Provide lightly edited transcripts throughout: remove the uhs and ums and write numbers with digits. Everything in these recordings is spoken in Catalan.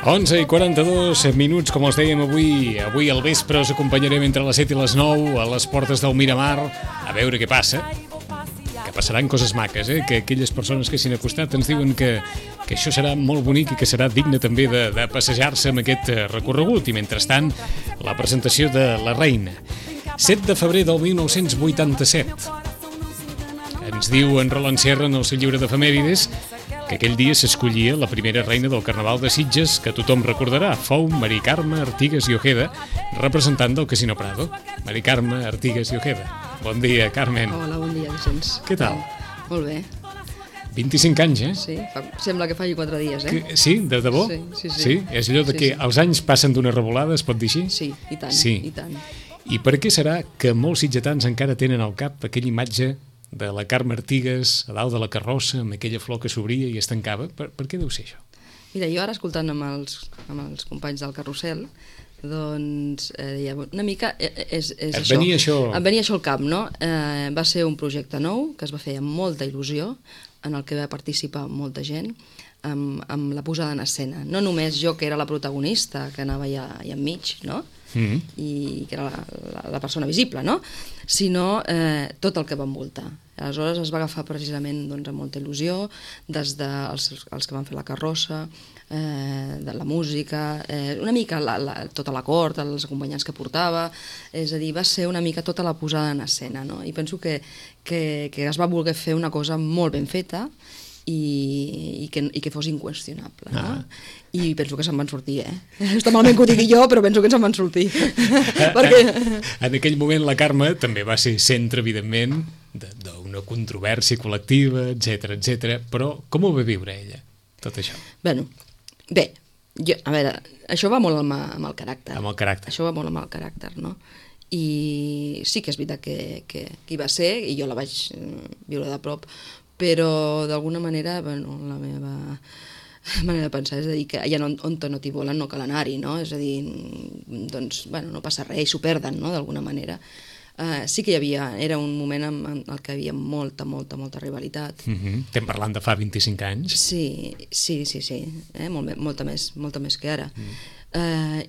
11:42, com els dèiem avui al vespre us acompanyarem entre les 7 i les 9 a les portes del Miramar a veure què passa, que passaran coses maques, que aquelles persones que s'hi han acostat ens diuen que això serà molt bonic i que serà digne també de passejar-se amb aquest recorregut. I mentrestant, la presentació de La Reina, 7 de febrer del 1987. Ens diu en Roland Sierra en el seu llibre d'efemèrides que aquell dia s'escollia la primera reina del Carnaval de Sitges, que tothom recordarà. Fou Mari Carme Artigas i Ojeda, representant del Casino Prado. Mari Carme Artigas i Ojeda. Bon dia, Carmen. Hola, bon dia, Vicenç. Què tal? Molt bé. 25 anys, Sí, sembla que faci 4 dies, Sí, de debò? Sí? És allò de que els anys passen d'una revolada, es pot dir així? Sí, i tant, i tant. I per què serà que molts sitgetans encara tenen al cap aquella imatge de la Carme Artigas a dalt de la carrossa amb aquella flor que s'obria i es tancava? Per què deu ser això? Mira, jo ara escoltant amb els companys del carrusel, doncs una mica és això. Em venia això al cap, no? Va ser un projecte nou que es va fer amb molta il·lusió, en el que va participar molta gent, amb la posada en escena. No només jo, que era la protagonista, que anava allà enmig, no? I que era la persona visible, no? Sinó tot el que va envoltar. Aleshores es va agafar precisament amb molta il·lusió, des dels que van fer la carrossa, de la música, una mica tota la cort, els acompanyants que portava, és a dir, va ser una mica tota la posada en escena, no? I penso que es va voler fer una cosa molt ben feta i que fos inqüestionable, no? I penso que se'n van sortir, Està malament que ho digui jo, però penso que se'n van sortir. En aquell moment la Carme també va ser centre, evidentment, d'una controvèrsia col·lectiva, etc. Però com ho va viure ella, tot això? Bé, a veure, això va molt amb el caràcter. Amb el caràcter. Això va molt amb el caràcter, no? I sí que és veritat que hi va ser, i jo la vaig viure de prop, però d'alguna manera, la meva manera de pensar és a dir que allà on no t'hi volen no cal anar-hi, no? És a dir, doncs, no passa res, s'ho perden, no?, d'alguna manera. Sí que era un moment en el que hi havia molta rivalitat. Estem parlant de fa 25 anys? Sí, molta més que ara.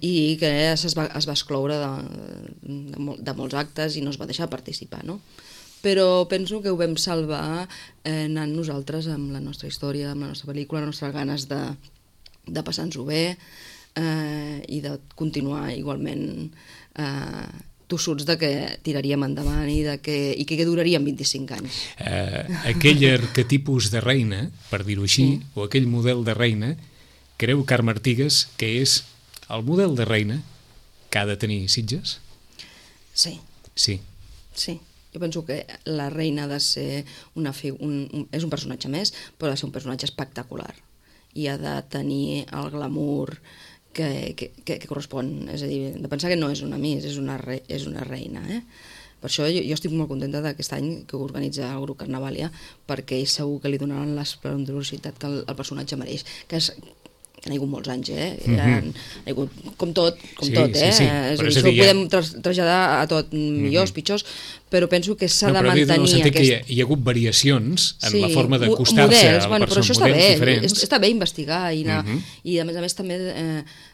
I que es va excloure de molts actes i no es va deixar participar, no? Però penso que ho vam salvar anant nosaltres amb la nostra història, amb la nostra pel·lícula, les nostres ganes de passar-nos-ho bé i de continuar igualment tossuts de que tiraríem endavant i que duraríem 25 anys. Aquell arquetipus de reina, per dir-ho així, o aquell model de reina, creu Carme Artigas que és el model de reina que ha de tenir Sitges? Sí. Sí. Jo penso que la reina ha de ser és un personatge més, però ha de ser un personatge espectacular i ha de tenir el glamour que correspon, és a dir, de pensar que no és una miss, és una reina, Per això jo estic molt contenta d'aquest any que organitza el grup Carnavalia, perquè segur que li donaran l'esplendorositat que el personatge mereix, que hi ha hagut molts anys, hi ha hagut com tot, Sí. És a dir, això ho podem traslladar a tot, millors, pitjors, però penso que s'ha de mantenir en el sentit que hi ha hagut variacions en la forma d'acostar-se a la persona, models diferents. Està bé investigar i a més també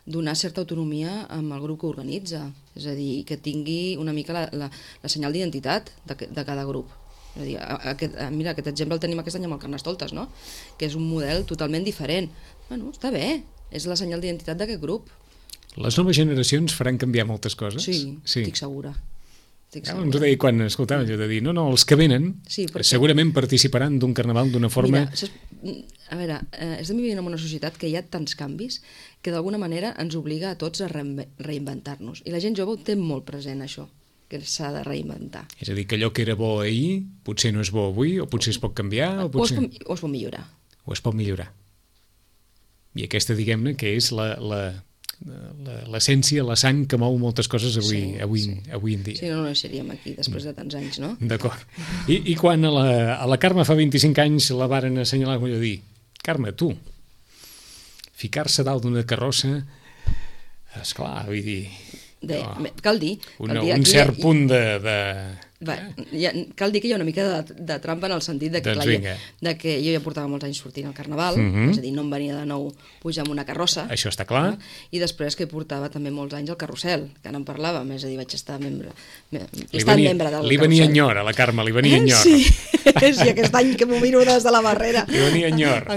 donar certa autonomia amb el grup que organitza, és a dir, que tingui una mica la senyal d'identitat de cada grup. És a dir, mira, aquest exemple el tenim aquest any amb el Carnestoltes, no? Que és un model totalment diferent. Està bé, és la senyal d'identitat d'aquest grup. Les noves generacions faran canviar moltes coses? Sí. Estic segura. Ens ho deia quan escoltava allò de dir, no, els que venen segurament participaran d'un carnaval d'una forma... Mira, a veure, estem vivint en una societat que hi ha tants canvis que d'alguna manera ens obliga a tots a reinventar-nos. I la gent jove ho té molt present, això, que s'ha de reinventar. És a dir, que allò que era bo ahir potser no és bo avui, o potser es pot canviar, o potser... O es pot millorar. O es pot millorar. I aquesta, diguem-ne, que és l'essència, la sang que mou moltes coses avui en dia. Sí, no seríem aquí després de tants anys, no? D'acord. I quan a la Carme fa 25 anys la varen assenyalar, vull dir, Carme, tu, ficar-se dalt d'una carrossa, esclar, vull dir... Cal dir... Un cert punt de Cal dir que hi ha una mica de trampa en el sentit de que jo ja portava molts anys sortint al Carnaval, és a dir, no em venia de nou pujar amb una carrossa. Això està clar. I després que portava també molts anys al Carrusel, que no en parlàvem, és a dir, vaig estar membre del Carrusel. Li venia enyor, a la Carme, li venia enyor. Sí, aquest any que m'ho miro des de la barrera. Li venia enyor.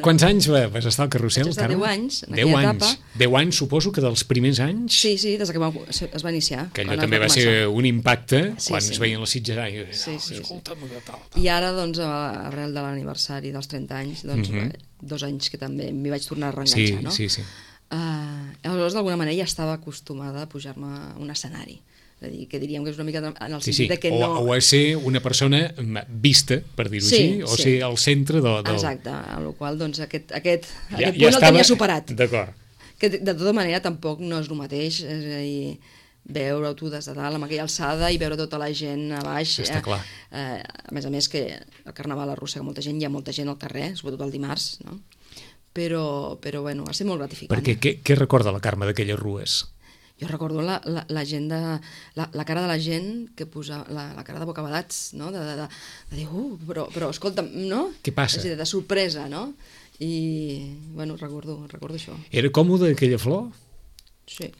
Quants anys vas estar al Carrusel, Carme? 10 anys, en aquella etapa. 10 anys, suposo que dels primers anys? Sí, des que es va iniciar. Que allò també va ser un impacte quan es veien les Sitges. I ara, doncs, arrel de l'aniversari dels 30 anys, doncs, 2 anys que també m'hi vaig tornar a reenganxar, no? Sí. Aleshores, d'alguna manera, ja estava acostumada a pujar-me a un escenari. És a dir, que diríem que és una mica en el sentit que no... O a ser una persona vista, per dir-ho així, o ser al centre del... Exacte, amb la qual cosa, doncs, aquest punt el tenia superat. D'acord. Que, de tota manera, tampoc no és el mateix, és a dir, veure-ho tu des de dalt amb aquella alçada i veure tota la gent a baix. Està clar. A més que el Carnaval arrossega molta gent, hi ha molta gent al carrer, sobretot el dimarts, no? Però bueno, va ser molt gratificant. Perquè què recorda la Carme d'aquelles rues? Jo recordo la gent la cara de la gent que posa la cara de bocabadats, no? De dir, però escolta'm, no? Què passa? És a dir, de sorpresa, no? I, bueno, recordo això. Era còmode aquella flor? Sí.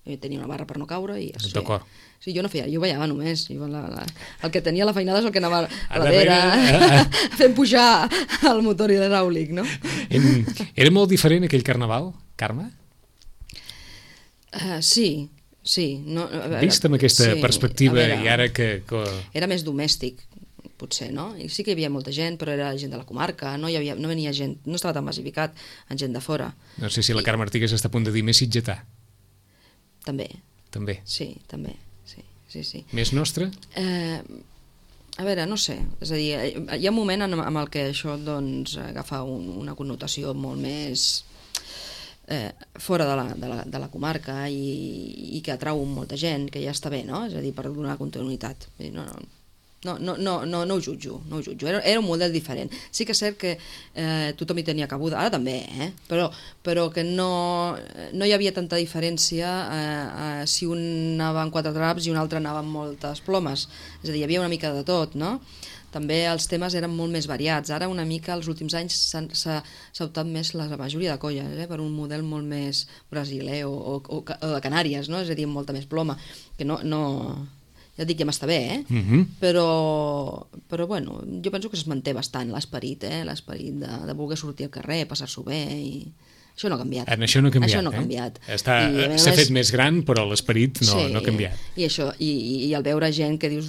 Tenia una barra per no caure i es feia. D'acord. Sí, jo no feia, jo ballava només. El que tenia la feinada és el que anava a darrere fent pujar el motor hidràulic, no? Era molt diferent aquell Carnaval, Carme? Sí. Vist amb aquesta perspectiva i ara que... Era més domèstic, potser, no? I sí que hi havia molta gent, però era gent de la comarca, no venia gent, no estava tan massificat en gent de fora. No sé si la Carme Artigas està a punt de dir més sitgetà. També. Sí. Sí. Més nostre? A veure, no sé. És a dir, hi ha un moment en el que això doncs, agafa una connotació molt més fora de la comarca i que atrau molta gent, que ja està bé, no? És a dir, per donar continuïtat. No ho jutjo. Era un model diferent. Sí que és cert que tothom hi tenia cabuda, ara també, però que no hi havia tanta diferència si un anava amb 4 draps i un altre anava amb moltes plomes. És a dir, hi havia una mica de tot, no? També els temes eren molt més variats. Ara una mica els últims anys s'ha optat més la majoria de colles per un model molt més brasiler o de Canàries, no? És a dir, amb molta més ploma, que no ja et dic que m'està bé, però bueno, jo penso que es manté bastant l'esperit de voler sortir al carrer, passar-s'ho bé, i això no ha canviat. Això no ha canviat. S'ha fet més gran, però l'esperit no ha canviat. I això, i el veure gent que dius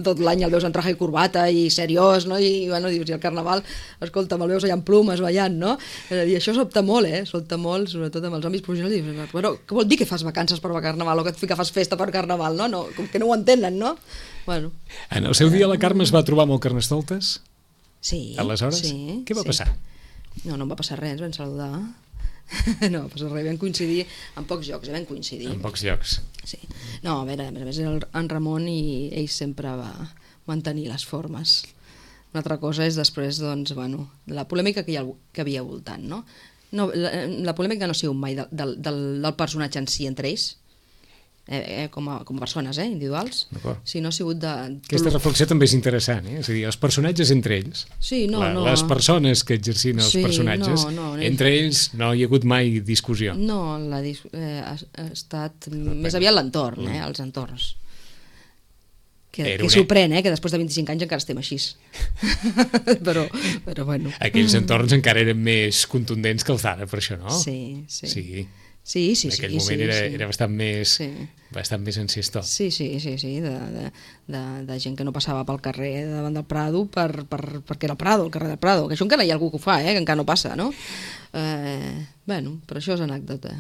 tot l'any el veus en traje i corbata i seriós, no? I bueno, dius, i el Carnaval, escolta'm, el veus allà amb plumes ballant, no? I això sobta molt, sobretot amb els homes professionals, i dius, bueno, què vol dir que fas vacances per Carnaval o que fas festa per Carnaval, no? Com que no ho entenen, no? Bueno. En el seu dia la Carme es va trobar amb el Carnestoltes? Sí. Aleshores? Sí. Què va passar? No em va passar res, ens vam saludar. No va passar res, vam coincidir en pocs llocs, En pocs llocs. Sí. No, a veure, a més en Ramon i ell sempre va mantenir les formes. Una altra cosa és després, doncs, bueno, la polèmica que havia al voltant, no? La polèmica no ha sigut mai del personatge en si entre ells, com a persones individuals, sinó ha sigut de... Aquesta reflexió també és interessant, És a dir, els personatges entre ells, les persones que exercien els personatges, entre ells no hi ha hagut mai discussió. No, ha estat més aviat l'entorn, els entorns. Que sorprèn, que després de 25 anys encara estem així. però bueno. Aquells entorns encara eren més contundents que els d'ara, per això, no? Sí. En aquell moment era bastant més enciestó. Sí, de gent que no passava pel carrer davant del Prado perquè era el Prado, el carrer del Prado, que això encara hi ha algú que ho fa, que encara no passa, no? Bueno, però això és anècdota.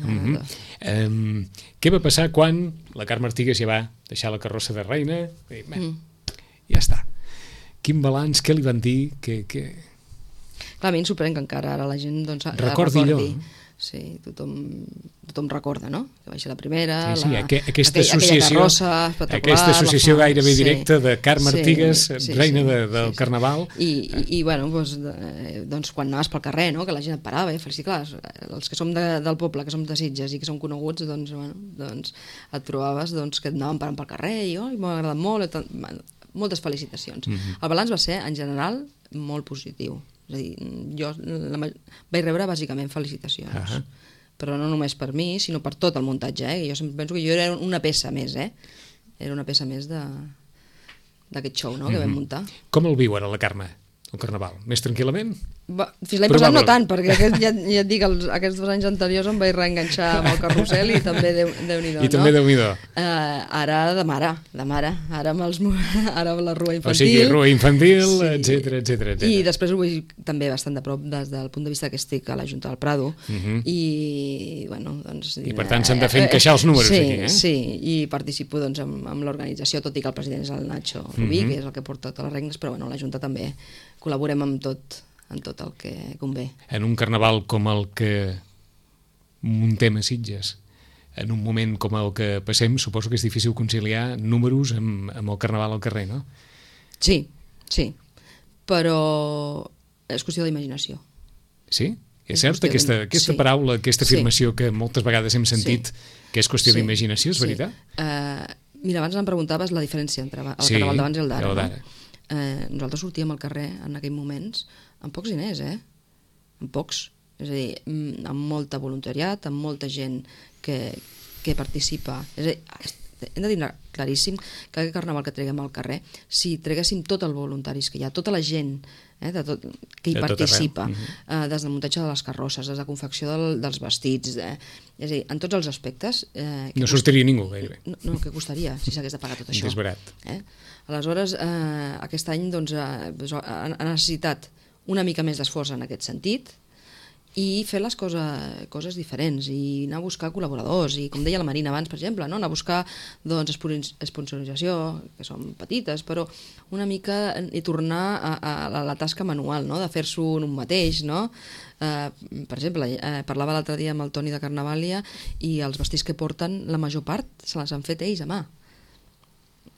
Què va passar quan la Carme Artigas ja va deixar la carrossa de reina? Ja està. Quin balanç, què li van dir? Clar, a mi em sorprèn que encara ara la gent recordi. Recordi allò. Sí, tothom tothom recorda, no? Que va ser la primera, aquesta aquella associació gairebé directa de Carme Artigas, reina del Carnaval. I bueno, doncs quan anaves pel carrer, no? Que la gent et parava, clar, els que som del poble, que som de Sitges i que som coneguts, doncs et trobaves que et anaven parant pel carrer i m'ha agradat molt, moltes felicitacions. El balanç va ser, en general, molt positiu. És a dir, jo vaig rebre bàsicament felicitacions. Però no només per mi, sinó per tot el muntatge. Jo sempre penso que jo era una peça més, Era una peça més d'aquest show que vam muntar. Com el viu ara la Carme, el Carnaval? Més tranquil·lament? Fins l'any passat no tant, perquè ja et dic, aquests 2 anys anteriors em vaig reenganxar amb el carrusel i també Déu-n'hi-do. I també Déu-n'hi-do. Ara de mare. Ara amb la rua infantil. O sigui, rua infantil, etcètera. I després ho veig també bastant de prop des del punt de vista que estic a la Junta del Prado. I, bueno, doncs... I per tant s'han de fer encaixar els números aquí, Sí, i participo amb l'organització, tot i que el president és el Nacho Rubí, que és el que porta totes les regnes, però bueno, la Junta també col·laborem amb tot el que convé. En un carnaval com el que muntem a Sitges, en un moment com el que passem, suposo que és difícil conciliar números amb el carnaval al carrer, no? Sí, però és qüestió d'imaginació. Sí? És cert aquesta paraula, aquesta afirmació que moltes vegades hem sentit, que és qüestió d'imaginació, és veritat? Mira, abans em preguntaves la diferència entre el carnaval d'abans i el d'ara. Nosaltres sortíem al carrer en aquells moments amb pocs diners, amb pocs, és a dir, amb molta voluntariat, amb molta gent que participa. És a dir, hem de dir claríssim que aquest carnaval que treguem al carrer, si treguéssim tots els voluntaris que hi ha, tota la gent que hi participa, des del muntatge de les carrosses, des de la confecció dels vestits, és a dir, en tots els aspectes... No sortiria ningú, gairebé. No, què costaria si s'hagués de pagar tot això? Desbarat. Aleshores, aquest any ha necessitat una mica més d'esforç en aquest sentit i fer les coses diferents i anar a buscar col·laboradors i, com deia la Marina abans, per exemple, anar a buscar esponsorització, que són petites, però una mica i tornar a la tasca manual, de fer-s'ho un mateix, no? Per exemple, parlava l'altre dia amb el Toni de Carnavàlia i els vestits que porten, la major part se les han fet ells a mà.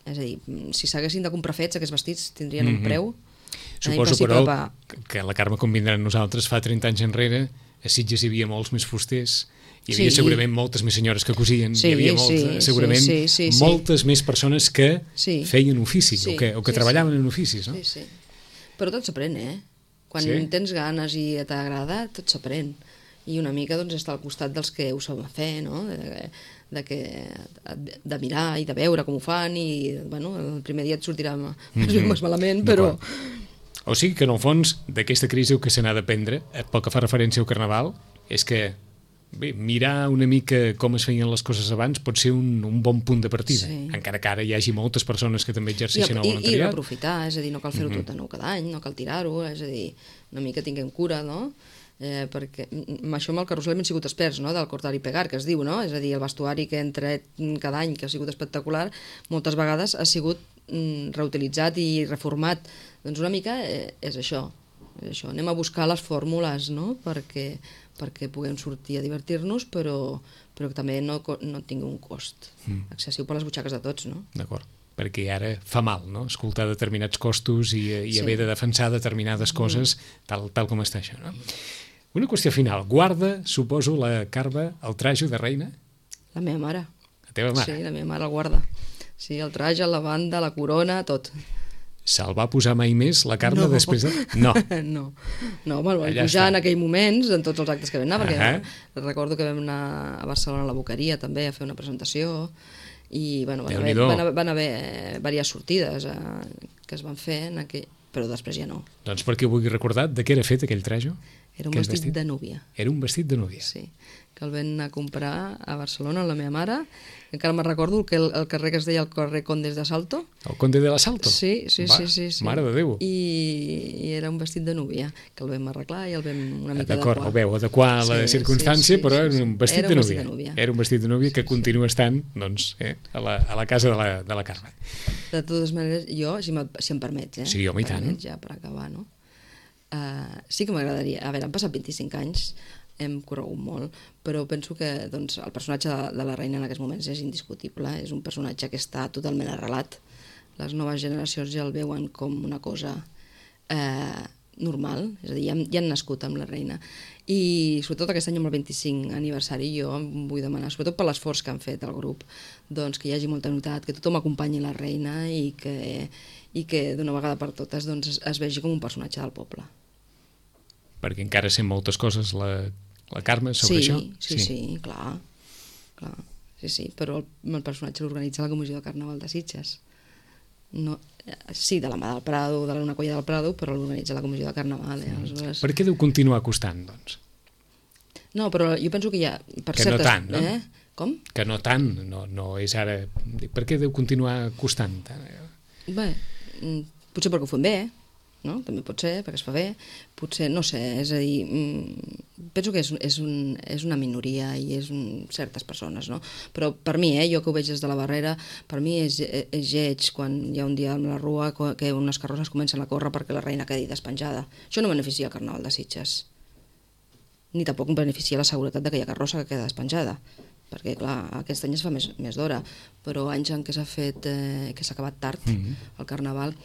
És a dir, si s'haguessin de comprar fets, aquests vestits tindrien un preu. Suposo, però, que la Carme convindrà amb nosaltres, fa 30 anys enrere, a Sitges hi havia molts més fusters, hi havia segurament moltes més senyores que cosien, hi havia moltes més persones que feien ofici, o que treballaven en oficis, no? Sí. Però tot s'aprèn, Quan tens ganes i t'agrada, tot s'aprèn. I una mica estar al costat dels que ho saben fer, no? De mirar i de veure com ho fan i, bueno, el primer dia et sortirà més malament, però... O sigui que, en el fons, d'aquesta crisi el que se n'ha d'aprendre, pel que fa referència al Carnaval, és que mirar una mica com es feien les coses abans pot ser un bon punt de partida, encara que ara hi hagi moltes persones que també exerceixen el voluntariat. I reaprofitar, és a dir, no cal fer-ho tot de nou cada any, no cal tirar-ho, és a dir, una mica tinguem cura, no? Perquè això amb el carrusel hem sigut experts, del cortar i pegar, que es diu, no? És a dir, el vestuari que hem tret cada any, que ha sigut espectacular, moltes vegades ha sigut reutilitzat i reformat. Doncs una mica és això. Anem a buscar les fórmules, no? Perquè puguem sortir a divertir-nos, però que també no tingui un cost excessiu per les butxaques de tots, no? D'acord, perquè ara fa mal, no? Escoltar determinats costos i haver de defensar determinades coses tal com està això, no? Una qüestió final. Guarda, suposo, la Carme, el trajo de reina? La meva mare. La teva mare? Sí, la meva mare el guarda. Sí, el traje, la banda, la corona, tot. Se'l va posar mai més, la Carme, després de... No, me'l vaig pujar en aquells moments, en tots els actes que vam anar, perquè recordo que vam anar a Barcelona a la Boqueria també a fer una presentació i van haver diverses sortides que es van fer en aquell... però després ja no. Doncs perquè ho vulgui recordar, de què era fet aquell trajo? Era un vestit de núvia. Era un vestit de núvia. Sí, que el vam anar a comprar a Barcelona, la meva mare. Encara me'n recordo que el carrer que es deia el carrer Condes de Salto. El Conde de la Salto? Sí. Mare de Déu. I era un vestit de núvia, que el vam arreglar i el vam una mica adequar. D'acord, el veu adequar a la circumstància, però era un vestit de núvia. Era un vestit de núvia que continua estant a la casa de la Carme. De totes maneres, jo, si em permets, sí, home, i tant. Ja per acabar, no? Sí que m'agradaria, a veure, han passat 25 anys, hem corregut molt, però penso que doncs, el personatge de la reina en aquests moments és indiscutible, és un personatge que està totalment arrelat. Les noves generacions ja el veuen com una cosa normal, és a dir, ja han nascut amb la reina. I sobretot aquest any amb el 25 aniversari jo em vull demanar, sobretot per l'esforç que han fet el grup, doncs que hi hagi molta unitat, que tothom acompanyi la reina i que d'una vegada per totes doncs, es vegi com un personatge del poble. Perquè encara sent moltes coses la Carme sobre això? Sí, clar. Sí, però el personatge l'organitza la Comissió de Carnaval de Sitges. Sí, de la mà del Prado, de una colla del Prado, però l'organitza la Comissió de Carnaval. Aleshores... Per què deu continuar costant, doncs? No, però jo penso que hi ha... Que no tant, no? Com? Que no tant, no és ara... Per què deu continuar costant? Bé, potser perquè ho fem bé, no? També pot ser, perquè es fa bé, potser, no sé, és a dir, penso que és una minoria i és certes persones, no? Però per mi, jo que ho veig des de la barrera, per mi és lleig quan hi ha un dia amb la rua que unes carrosses comencen a córrer perquè la reina quedi despenjada. Això no beneficia el Carnaval de Sitges, ni tampoc beneficia la seguretat d'aquella carrossa que queda despenjada, perquè clar, aquest any es fa més d'hora, però anys en què s'ha fet, que s'ha acabat tard el Carnaval,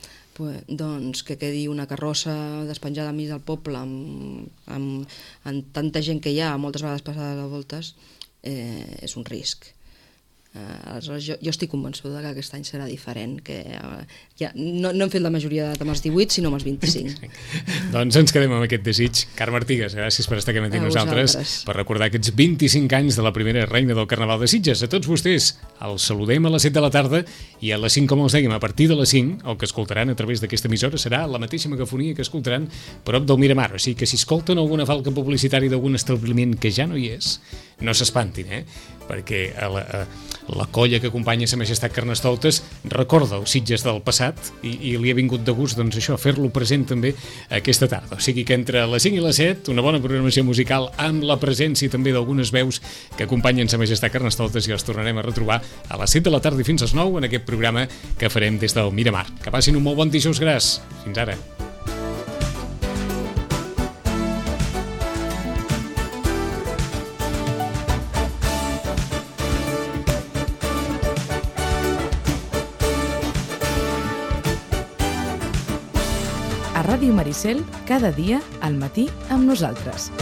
doncs que quedi una carrossa despenjada enmig del poble amb tanta gent que hi ha, moltes vegades passades a voltes, és un risc. Aleshores, jo estic convençuda que aquest any serà diferent, que ja no hem fet la majoria d'edat amb els 18, sinó amb els 25. Doncs ens quedem amb aquest desig. Carme Artigas, gràcies per estar aquí amb nosaltres, per recordar aquests 25 anys de la primera reina del Carnaval de Sitges. A tots vostès els saludem a les 7 de la tarda i a les 5, com els dèiem, a partir de les 5, el que escoltaran a través d'aquesta emissora serà la mateixa megafonia que escoltaran prop del Miramar. O sigui que si escolten alguna falca publicitària d'algun establiment que ja no hi és, no s'espantin, perquè la colla que acompanya Sa Majestat Carnestoltes recorda els Sitges del passat i li ha vingut de gust doncs això, fer-lo present també aquesta tarda. O sigui que entre les 5 i les 7 una bona programació musical amb la presència també d'algunes veus que acompanyen Sa Majestat Carnestoltes i els tornarem a retrobar a les 7 de la tarda i fins als 9 en aquest programa que farem des del Miramar. Que passin un molt bon dijous gras. Fins ara. Ràdio Maricel, cada dia al matí amb nosaltres.